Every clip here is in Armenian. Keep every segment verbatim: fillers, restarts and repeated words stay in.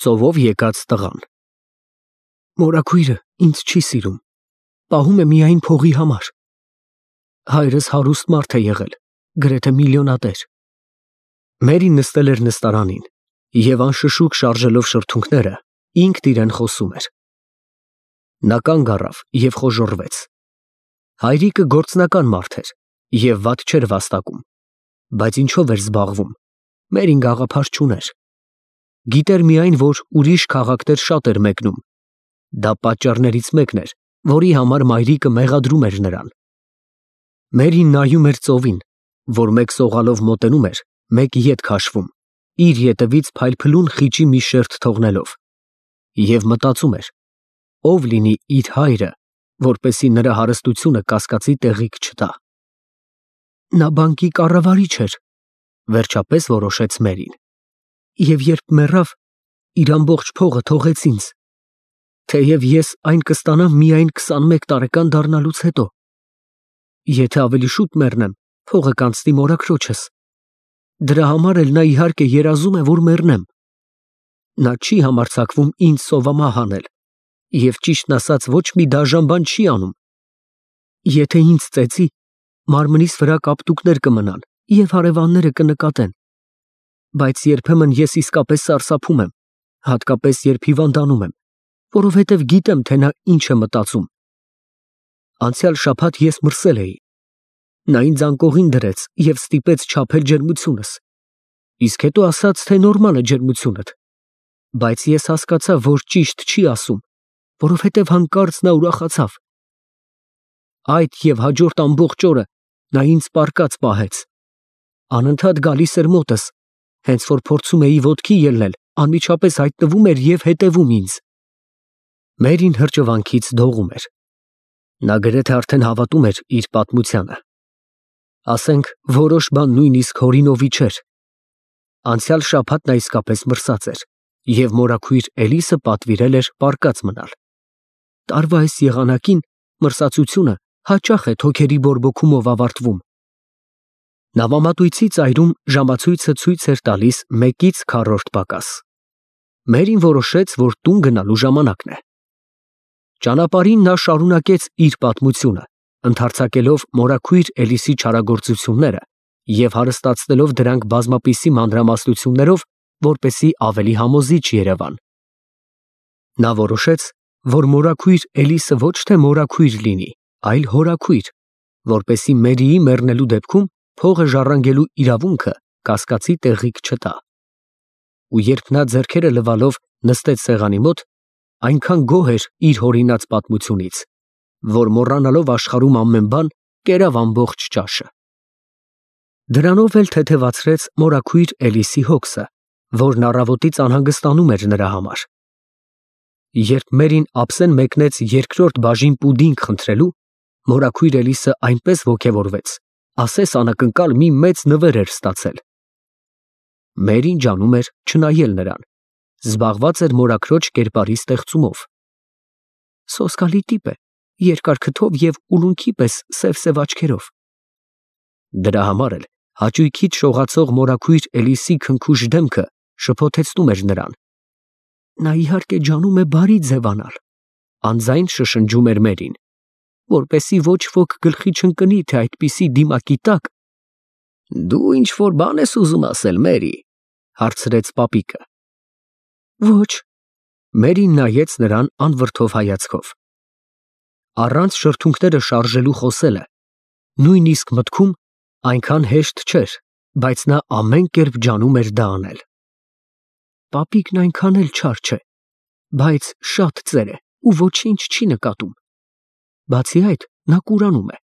Ծովով եկած տղան։ Մորաքույրը ինձ չի սիրում, պահում է միայն փողի համար։ Հայրս հարուստ մարդ է եղել, գրեթե միլիոնատեր։ Մերին նստել էր նստարանին և անշշուկ շարժելով շրթունքները, ինքն իրեն խոսում էր։ Նա կանգ առավ և խոժոռվեց։ Հայրիկը գործնական մարդ էր և վատ չէր վաստակում, բայց ինչով էր զբաղվում, Մերին գաղափար չուներ։ Գիտեր միայն, որ ուրիշ քաղաքներ շատ էր մեկնում։ Դա պատճառներից մեկն էր, որի համար մայրիկը մեղադրում էր նրան։ Մերին նայում էր ծովին, որ մեկ սողալով մոտենում էր, մեկ ետ քաշվում, իր ետևից փայլփլուն խիճի մի շերտ թողնելով, և մտածում էր, ով լինի իր հայրը, որպեսզի նրա հարստությունը կասկածի տեղիք չտա։ Նա բանկի կառավարիչ էր, վերջապես որոշեց Մերին, և երբ մեռավ, իր ամբողջ փողը թողեց ինձ, թեև ես այն կստանամ միայն քսանմեկ տարեկան դառնալուց հետո։ Եթե ավելի շուտ մեռնեմ, փողը կանցնի մորաքրոջս։ Դրա համար էլ նա իհարկե երազում է, որ մեռնեմ։ Նա չի համարձակվում ինձ սովամահ անել և ճիշտն ասած ոչ մի դաժան բան չի անում։ Եթե ինձ ծեծի, մարմնիս վրա կապտուկներ կմնան և հարևանները կնկատեն։ Բայց երբեմն ես իսկապես սարսափում եմ, հատկապես երբ հիվանդանում եմ, որովհետև գիտեմ, թե նա ինչ է մտածում։ Անցյալ շաբաթ ես մրսել էի։ Նա ինձ անկողին դրեց և ստիպեց չափել ջերմությունս, իսկ հետո ասաց, թե նորմալ է ջերմությունդ, բայց ես հասկացա, որ ճիշտ չի ասում, որովհետև հանկարծ նա ուրախացավ։ Այդ և հաջորդ ամբողջ օրը նա ինձ պառկած պահեց։ Անընդհատ գալիս էր մոտս, հենց որ փորձում էի ոտքի ելնել, անմիջապես հայտնվում էր և հետևում ինձ։ Մերին հրճվանքից դողում էր։ Նա գրեթե արդեն հավատում էր իր պատմությանը։ Ասենք, որոշ բան նույնիսկ հորինովի չէր։ Անցյալ շաբաթ նա իսկապես մրսած էր, և մորաքույր Էլիսը պատվիրել էր պառկած մնալ։ Տարվա այս եղանակին մրսածությունը հաճախ է թոքերի բորբոքումով ավարտվում։ Նավամատույցի ծայրում ժամացույցը ցույց էր տալիս մեկից քառորդ պակաս։ Մերին որոշեց, որ տուն գնալու ժամանակն է։ Ճանապարհին նա շարունակեց իր պատմությունը, ընդարձակելով մորաքույր Էլիսի չարագործությունները և հարստացնելով դրանք բազմապիսի մանրամասնություններով, որպեսզի ավելի համոզիչ երևան։ Նա որոշեց, որ մորաքույր Էլիսը ոչ թե մորաքույր լինի, այլ հորաքույր, որպեսզի Մերիի մեռնելու դեպքում փողը ժառանգելու իրավունքը կասկածի տեղիք չտա։ Ու երբ նա ձեռքերը լվալով նստեց սեղանի մոտ, այնքան գոհ էր իր հորինած պատմությունից, որ մոռանալով աշխարհում ամեն բան, կերավ ամբողջ ճաշը։ Դրանով էլ թեթևացրեց մորաքույր Էլիսի հոգսը, որն առավոտից անհանգստանում էր նրա համար։ Երբ Մերին ափսեն մեկնեց երկրորդ բաժին պուդինգ խնդրելու, մորաքույր Էլիսը այնպես ոգևորվեց, ասես անակնկալ մի մեծ նվեր էր ստացել։ Մերին ջանում էր չնայել նրան, զբաղված էր մորաքրոջ կերպարի ստեղծումով։ Սոսկալի տիպ է, երկար քթով և ուլունքի պես սև֊սև աչքերով։ Դրա համար էլ հաճույքից շողացող մորաքույր Էլիսի քնքուշ դեմքը շփոթեցնում էր նրան։ Նա իհարկե ջանում է բարի ձևանալ, անձայն շշնջում էր Մերին, որպեսզի ոչ ոք գլխի չընկնի, թե այդպիսի դիմակի տակ։ Դու ինչ-որ բան ես ուզում ասել, Մերի, հարցրեց պապիկը։ Ոչ։ Մերին նայեց նրան անվրդով հայացքով։ Առանց շրթունքները շարժելու խոսելը, նույնիսկ մտքում, այնքան հեշտ չէր, բայց նա ամեն կերպ ջանում էր դա անել։ Պապիկն այնքան էլ չար չէ, բայց շատ ծեր է ու ոչինչ չի նկատում։ Բացի այդ, նա կուրանում է։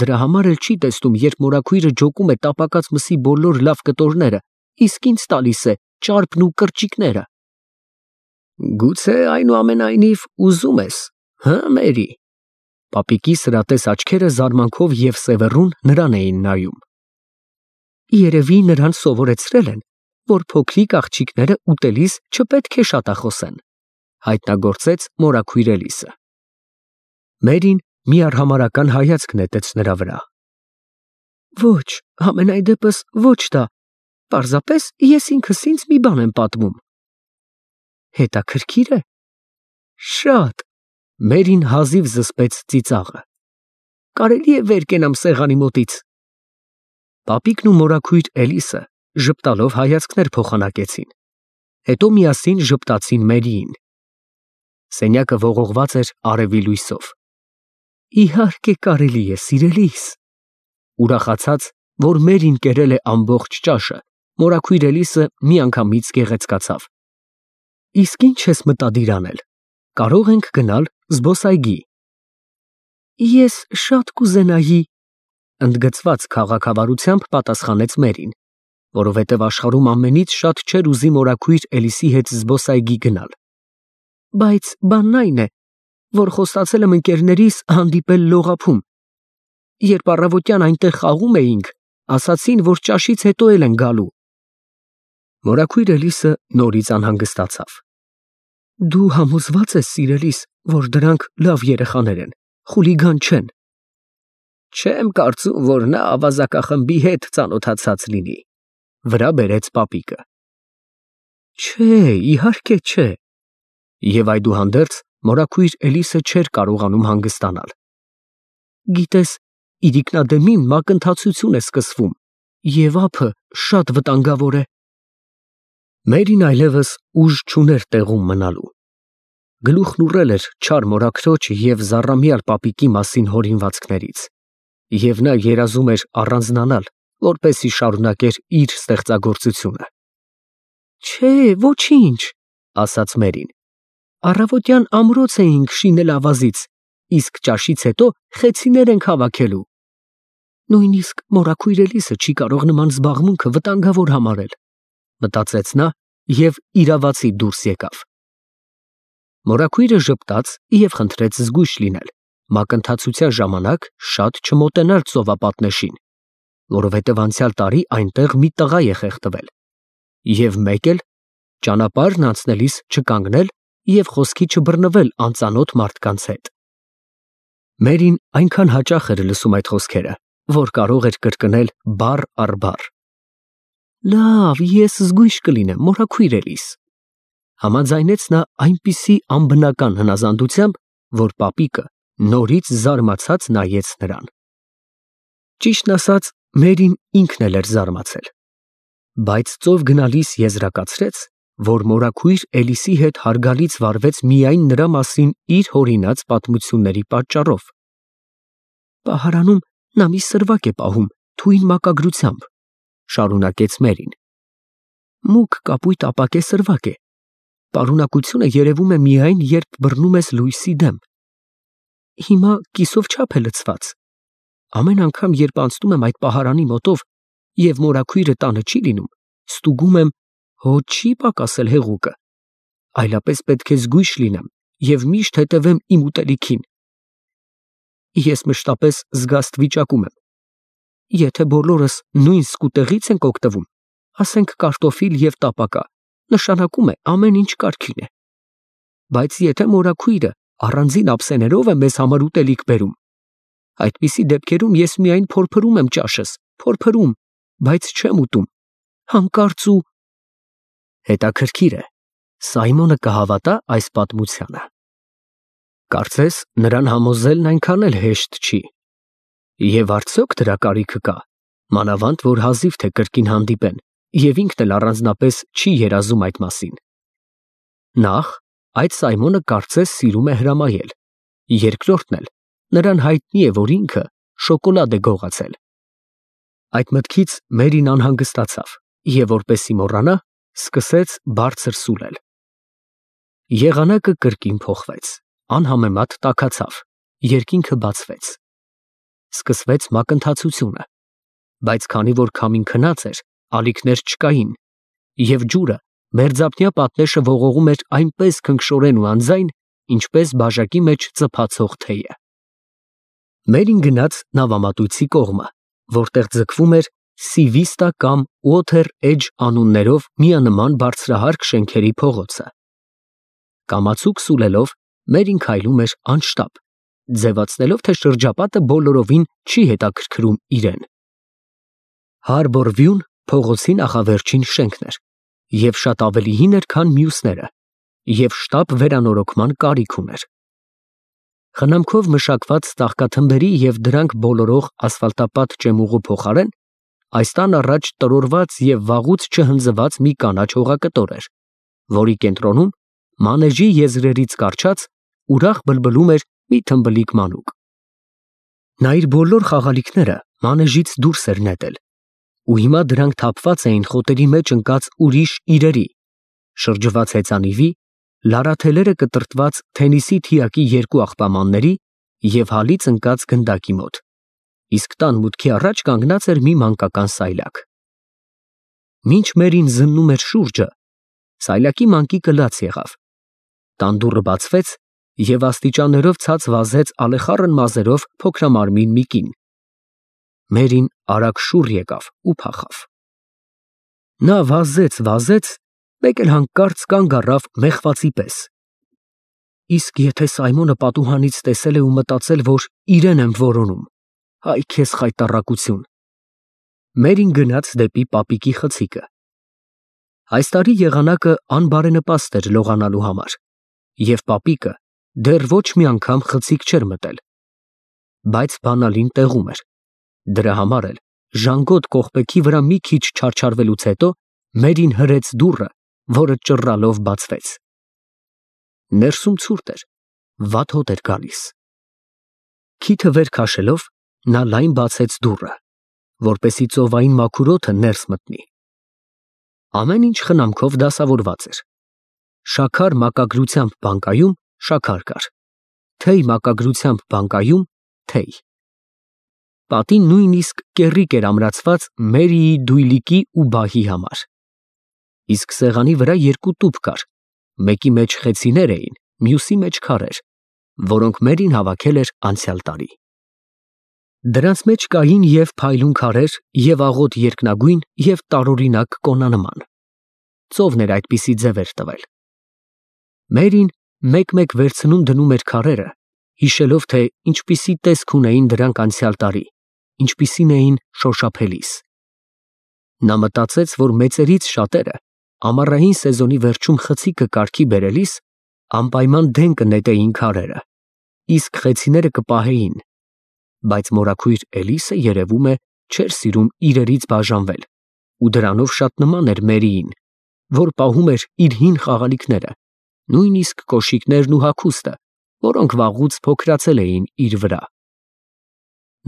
Դրա համար էլ չի տեսնում, երբ մորաքույրը ջոկում է տապակած մսի բոլոր լավ կտորները, իսկ ինձ տալիս է ճարպն ու կրճիկները։ Գուցե այնուամենայնիվ ուզում ես, հը՞, Մերի։ Պապիկի սրատես աչքերը զարմանքով և սևեռուն նրան էին նայում։ Երևի նրան սովորեցրել են, որ փոքրիկ աղջիկները ուտելիս չպետք է շատախոսեն, հայտնագործեց մորաքույր Էլիսը։ Մերին մի արհամարհական հայացք նետեց նրա վրա։ Ոչ, համենայն դեպս ոչ դա, պարզապես ես ինքս ինձ մի բան եմ պատմում։ Հետաքրքիր է։ Շատ։ Մերին հազիվ զսպեց ծիծաղը։ Կարելի է վեր կենամ սեղանի մոտից։ Պապիկն ու մորաքույր Էլիսը ժպտալով հայացքներ փոխանակեցին, հետո միասին ժպտացին Մերիին։ Սենյակը ողողված էր արևի լույսով։ Իհարկե կարելի է, սիրելիս։ Ուրախացած, որ Մերին կերել է ամբողջ ճաշը, մորաքույր Էլիսը միանգամից գեղեցկացավ։ Իսկ ինչ ես մտադիր անել։ Կարող ենք գնալ զբոսայգի։ Ես շատ կուզենայի, ընդգծված քաղաքավարությամբ պատասխանեց Մերին, որովհետև աշխարհում ամենից շատ չէր ուզի մորաքույր Էլիսի հետ զբոսայգի գնալ։ Բայց բանն այն է, որ խոստացել եմ ընկերներիս հանդիպել լողափում։ Երբ առավոտյան այնտեղ խաղում էինք, ասացին, որ ճաշից հետո էլ են գալու։ Մորաքույր Էլիսը նորից անհանգստացավ։ Դու համոզված ես, սիրելիս, որ դրանք լավ երեխաներ են, խուլիգան չեն։ Չեմ կարծում, որ նա ավազակախմբի հետ ծանոթացած լինի, վրա բերեց պապիկը։ Չէ, իհարկե չէ։ Եվ այդուհանդերձ մորաքույր Էլիսը չէր կարողանում հանգստանալ։ Գիտես, իրիկնադեմին մակընթացություն է սկսվում, և ափը շատ վտանգավոր է։ Մերին այլևս ուժ չուներ տեղում մնալու։ Գլուխն ուռել էր չար մորաքրոջ և զառամյալ պապիկի մասին հորինվածքներից, և նա երազում էր առանձնանալ, որպեսզի շարունակեր իր ստեղծագործությունը։ Չէ, ոչինչ, ասաց Մերին։ Առավոտյան ամրոց էինք շինել ավազից, իսկ ճաշից հետո խեցիներ ենք հավաքելու։ Նույնիսկ մորաքույր Էլիսը չի կարող նման զբաղմունքը վտանգավոր համարել, մտածեց նա և իրավացի դուրս եկավ։ Մորաքույրը ժպտաց և խնդրեց զգույշ լինել, մակընթացության ժամանակ շատ չմոտենալ ծովապատնեշին, որովհետև անցյալ տարի այնտեղ մի տղա է խեղդվել, և մեկ էլ ճանապարհն անցնելիս չկանգնել և խոսքի չբռնվել անծանոթ մարդկանց հետ։ Մերին այնքան հաճախ էր լսում այդ խոսքերը, որ կարող էր կրկնել բառ առ բառ։ Լավ, ես զգույշ կլինեմ, մորաքույր Էլիս, համաձայնեց նա այնպիսի անբնական հնազանդությամբ, որ պապիկը նորից զարմացած նայեց նրան։ Ճիշտն ասած, Մերին ինքն էլ էր զարմացել, բայց ծով գնալիս եզրակացրեց, որ մորաքույր Էլիսի հետ հարգալից վարվեց միայն նրա մասին իր հորինած պատմությունների պատճառով։ Պահարանում նա մի սրվակ է պահում թույն մակագրությամբ, շարունակեց Մերին։ Մուգ կապույտ ապակե սրվակ է։ Պարունակությունը երևում է միայն, երբ բռնում ես լույսի դեմ։ Հիմա կիսով չափ է լցված։ Ամեն անգամ, երբ անցնում եմ այդ պահարանի մոտով և մորաքույրը տանը չի լինում, ստուգում եմ, հո չի պակասել հեղուկը, այլապես պետք է զգույշ լինեմ և միշտ հետևեմ իմ ուտելիքին։ Ես մշտապես զգաստ վիճակում եմ։ Եթե բոլորս նույն սկուտեղից ենք օգտվում, ասենք կարտոֆիլ և տապակա, նշանակում է ամեն ինչ կարգին է։ Բայց եթե մորաքույրը առանձին ափսեներով է մեզ համար ուտելիք բերում, այդպիսի դեպքերում ես միայն փորփրում եմ ճաշս, փորփրում, բայց չեմ ուտում, հանկարծ ու… Հետաքրքիր է, Սայմոնը կհավատա այս պատմությանը։ Կարծես նրան համոզելն այնքան էլ հեշտ չի։ Եվ արդյոք դրա կարիքը կա, մանավանդ որ հազիվ թե կրկին հանդիպեն, և ինքն էլ առանձնապես չի երազում այդ մասին։ Նախ, այդ Սայմոնը կարծես սիրում է հրամայել, երկրորդն էլ, նրան հայտնի է, որ ինքը շոկոլադ է գողացել։ Այդ մտքից Մերին անհանգստացավ և, որպեսզի մոռանա, սկսեց բարձր սուլել։ Եղանակը կրկին փոխվեց, անհամեմատ տաքացավ, երկինքը բացվեց։ Սկսվեց մակընթացությունը, բայց քանի որ քամին քնած էր, ալիքներ չկային, և ջուրը մերձափնյա պատնեշը ողողում էր այնպես քնքշորեն ու անձայն, ինչպես բաժակի մեջ ծփացող թեյը։ Մերին գնաց նավամատույցի կողմը, որտեղ ձգվում էր Սիվիստա կամ Water Edge անուններով միանման բարձրահարկ շենքերի փողոցը։ Կամացուկ սուլելով Մերին քայլում էր անշտապ, ձևացնելով, թե շրջապատը բոլորովին չի հետաքրքրում իրեն։ Harbor View-ն փողոցի նախավերջին շենքն էր և շատ ավելի հին էր, քան մյուսները, և շտապ վերանորոգման կարիք ուներ։ Խնամքով մշակված ծաղկաթմբերի և դրանք բոլորող ասֆալտապատ ճեմուղու փոխարեն այս տան առաջ տրորված և վաղուց չհնձված մի կանաչ հողակտոր էր, որի կենտրոնում մանեժի եզրերից կառչած ուրախ բլբլում էր մի թմբլիկ մանուկ։ Նա իր բոլոր խաղալիքները մանեժից դուրս էր նետել, ու հիմա դրանք թափված էին խոտերի մեջ ընկած ուրիշ իրերի, շրջված հեծանիվի, լարաթելերը կտրտված թենիսի թիակի երկու աղբամանների և հալից ընկած գնդակի մոտ, իսկ տան մուտքի առաջ կանգնած էր մի մանկական սայլակ։ Մինչ Մերին զննում էր շուրջը, սայլակի մանկիկը լաց եղավ։ Տան դուռը բացվեց, և աստիճաններով ցած վազեց ալեխառն մազերով փոքրամարմին մի կին։ Մերին արագ շուռ եկավ ու փախավ։ Նա վազեց, վազեց, մեկ էլ հանկարծ կանգ առավ մեղվացի պես։ Իսկ եթե Սայմոնը պատուհանից տեսել է ու մտածել, որ իրեն եմ որոնում, այ քեզ խայտառակություն։ Մերին գնաց դեպի պապիկի խցիկը։ Այս տարի եղանակը անբարենպաստ էր լողանալու համար, և պապիկը դեռ ոչ մի անգամ խցիկ չէր մտել։ Բայց բանալին տեղում էր։ Դրա համար էլ ժանգոտ կողպեքի վրա մի քիչ չարչարվելուց հետո Մերին հրեց դուռը, որը ճռռալով բացվեց։ Ներսում ցուրտ էր, վատ հոտ էր գալիս։ Քիթը վեր քաշելով, նա լայն բացեց դուռը, որպեսզի ծովային մաքուր օդը ներս մտնի։ Ամեն ինչ խնամքով դասավորված էր։ Շաքար մակագրությամբ բանկայում շաքար կար, թեյ մակագրությամբ բանկայում թեյ։ Պատին նույնիսկ կեռիկ էր ամրացված Մերիի դույլիկի ու բահի համար։ Իսկ սեղանի վրա երկու տուփ կար, մեկի մեջ խեցիներ էին, մյուսի մեջ քարեր, որոնք Մերին հավաքել էր անցյալ տարի։ Դրանց մեջ կային և փայլուն քարեր, և աղոտ երկնագույն, և տարօրինակ կոնանման։ Ծովն էր այդպիսի ձևեր տվել։ Մերին մեկ֊մեկ վերցնում դնում էր քարերը, հիշելով, թե ինչպիսի տեսք ունեին դրանք անցյալ տարի, ինչպիսին էին շոշափելիս։ Նա մտածեց, որ մեծերից շատերը ամառային սեզոնի վերջում խցիկը կարգի բերելիս անպայման դեն կնետեին քարերը, իսկ խեցիները կպահեին, բայց մորաքույր Էլիսը, երևում է, չէր սիրում իրերից բաժանվել ու դրանով շատ նման էր Մերիին, որ պահում էր իր հին խաղալիքները, նույնիսկ կոշիկներն ու հագուստը, որոնք վաղուց փոքրացել էին իր վրա։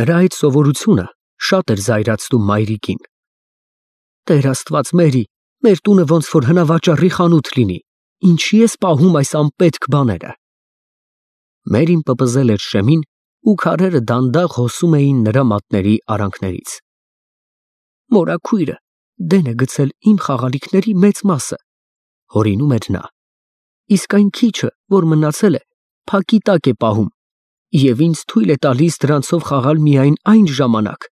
Նրա այդ սովորությունը շատ էր զայրացնում մայրիկին։ Տեր Աստված, Մերի, մեր տունը ոնց որ հնավաճառի խանութ լինի, ինչի ես պահում այս անպետք բաները։ Մերին պպզել էր շեմին, ու քարերը դանդաղ հոսում էին նրա մատների արանքներից։ Մորաքույրը դեն է գցել իմ խաղալիքների մեծ մասը, հորինում էր նա, իսկ այն քիչը, որ մնացել է, փակի տակ է պահում, և ինձ թույլ է տալիս դրանցով խաղալ միայն այն ժամանակ,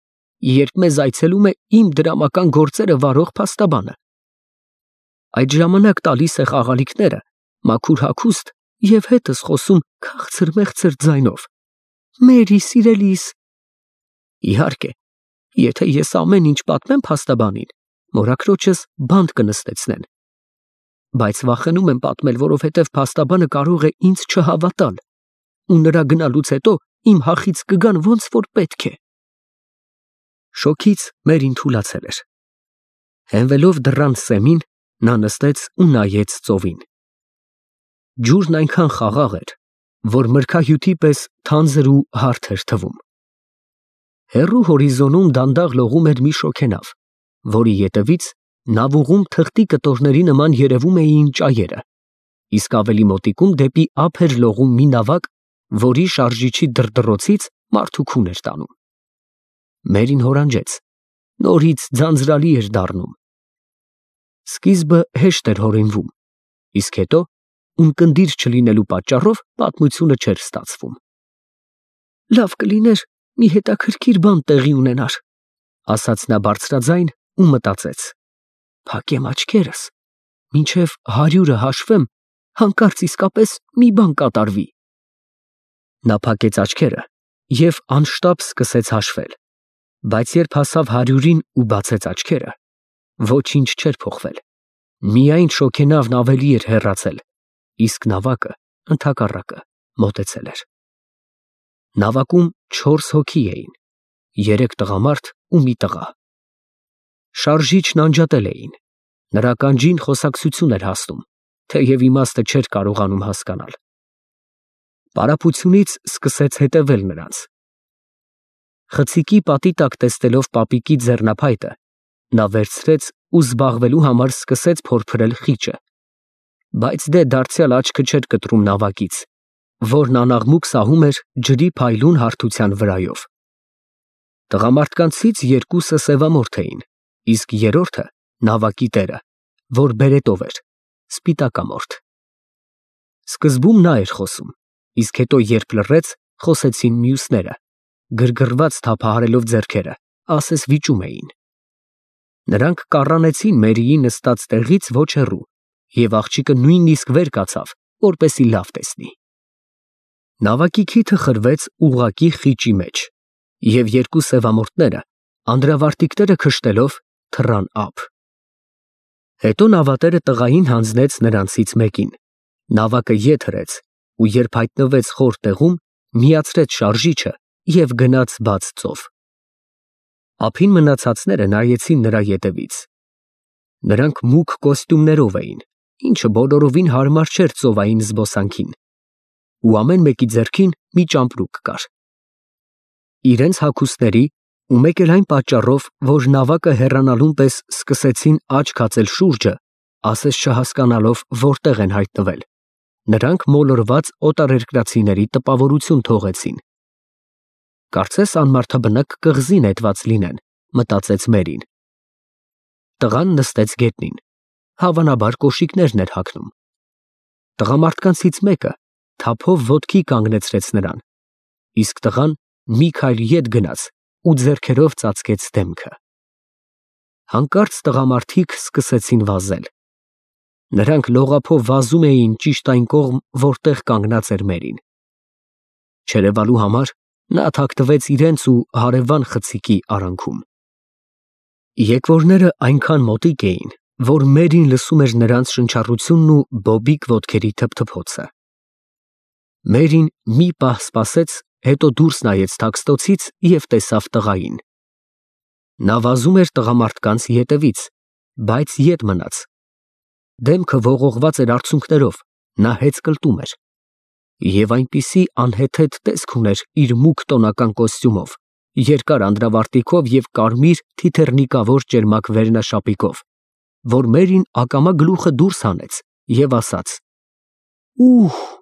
երբ մեզ այցելում է իմ դրամական գործերը վարող փաստաբանը։ Այդ ժամանակ տալիս է խաղալիքները, մաքուր հագուստ և հետս խոսում քաղցր֊մեղցր ձայնով. Մերի, սիրելիս։ Իհարկե, եթե ես ամեն ինչ պատմեմ փաստաբանին, մորաքրոջս բանտ կնստեցնեն, բայց վախենում եմ պատմել, որովհետև փաստաբանը կարող է ինձ չհավատալ, ու նրա գնալուց հետո իմ հախից կգան ոնց որ պետք է։ Շոգից Մերին թուլացել էր։ Հենվելով դռան սեմին, նա նստեց ու նայեց ծովին։ Ջուրն այնքան խաղաղ էր, որ մրգահյութի պես թանձր ու հարթ էր թվում։ Հեռու հորիզոնում դանդաղ լողում էր մի շոգենավ, որի ետևից նավուղում թղթի կտորների նման երևում էին ճայերը, իսկ ավելի մոտիկում դեպի ափ էր լողում մի նավակ, որի շարժիչի դրդռոցից մարդու քուն էր տանում։ Մերին հորանջեց, նորից ձանձրալի էր դառնում։ Սկիզբը հեշտ էր հորինվում, իսկ հետո ունկնդիր չլինելու պատճառով պատմությունը չէր ստացվում։ Լավ կլիներ մի հետաքրքիր բան տեղի ունենար, ասաց նա բարձրաձայն ու մտածեց. փակեմ աչքերս, մինչև հարյուրը հաշվեմ, հանկարծ իսկապես մի բան կատարվի։ Նա փակեց աչքերը և անշտապ սկսեց հաշվել, բայց երբ հասավ հարյուրին ու բացեց աչքերը, ոչինչ չէր փոխվել, միայն շոգենավն ավելի էր հեռացել, իսկ նավակը ընդհակառակը մոտեցել էր։ Նավակում չորս հոգի էին, երեք տղամարդ ու մի տղա։ Շարժիչն անջատել էին, նրա ականջին խոսակցություն էր հասնում, թեև իմաստը չէր կարողանում հասկանալ։ Պարապությունից սկսեց հետևել նրանց։ Խցիկի պատի տակ տեսնելով պապիկի ձեռնափայտը, նա վերցրեց ու զբաղվելու համար սկսեց փորփրել խիճը, բայց դե դարձյալ աչքը չէր կտրում նավակից, որն անաղմուկ սահում էր ջրի փայլուն հարթության վրայով։ Տղամարդկանցից երկուսը սևամորթ էին, իսկ երրորդը նավակի տերը, որ բերետով էր, սպիտակամորթ։ Սկզբում նա էր խոսում, իսկ հետո երբ լռեց, խոսեցին մյուսները, գրգռված թափահարելով ձեռքերը, ասես վիճում էին։ Նրանք կառանեցին Մերիի նստած տեղից ոչ հեռու, և աղջիկը նույնիսկ վեր կացավ, որպեսզի լավ տեսնի։ Նավակի քիթը խրվեց ուղղակի խիճի մեջ, և երկու սևամորթները, անդրավարտիքները քշտելով, թռան ափ։ Հետո նավատերը տղային հանձնեց նրանցից մեկին, նավակը ետ հրեց ու երբ հայտնվեց խոր տեղում, միացրեց շարժիչը և գնաց բաց ծով։ Ափին մնացածները նայեցին նրա ետևից։ Նրանք մուգ կոստյումներով էին, ինչը բոլորովին հարմար չէր ծովային զբոսանքին, ու ամեն մեկի ձեռքին մի ճամպրուկ կար։ Իրենց հագուստների ու մեկ էլ այն պատճառով, որ նավակը հեռանալուն պես սկսեցին աչք հացել շուրջը, ասես չհասկանալով որտեղ են հայտնվել, նրանք մոլորված օտարերկրացիների տպավորություն թողեցին։ Կարծես անմարդաբնակ կղզի նետված լինեն, մտածեց Մերին։ Տղան նստեց գետնին, հավանաբար կոշիկներն էր հագնում։ Տղամարդկանցից մեկը թափով ոտքի կանգնեցրեց նրան, իսկ տղան մի քայլ ետ գնաց ու ձեռքերով ծածկեց դեմքը։ Հանկարծ տղամարդիկ սկսեցին վազել։ Նրանք լողափով վազում էին ճիշտ այն կողմ, որտեղ կանգնած էր Մերին։ Չերևալու համար նա թաքնվեց իրենց ու հարևան խցիկի արանքում։ Եկվորները այնքան մոտիկ էին, որ Մերին լսում էր նրանց շնչառությունն ու բոբիկ ոտքերի թփթփոցը։ Մերին մի պահ սպասեց, հետո դուրս նայեց թաքստոցից և տեսավ տղային։ Նա վազում էր տղամարդկանց ետևից, բայց ետ մնաց։ Դեմքը ողողված էր արցունքներով, նա հեծկլտում էր և այնպիսի անհեթեթ տեսք ուներ իր մուգ տոնական կոստյումով, երկար անդրավարտիքով և կարմիր թիթեռնիկավոր ճերմակ վերնաշապիկով, որ Մերին ակամա գլուխը դուրս հանեց և ասաց. «Ուհ»։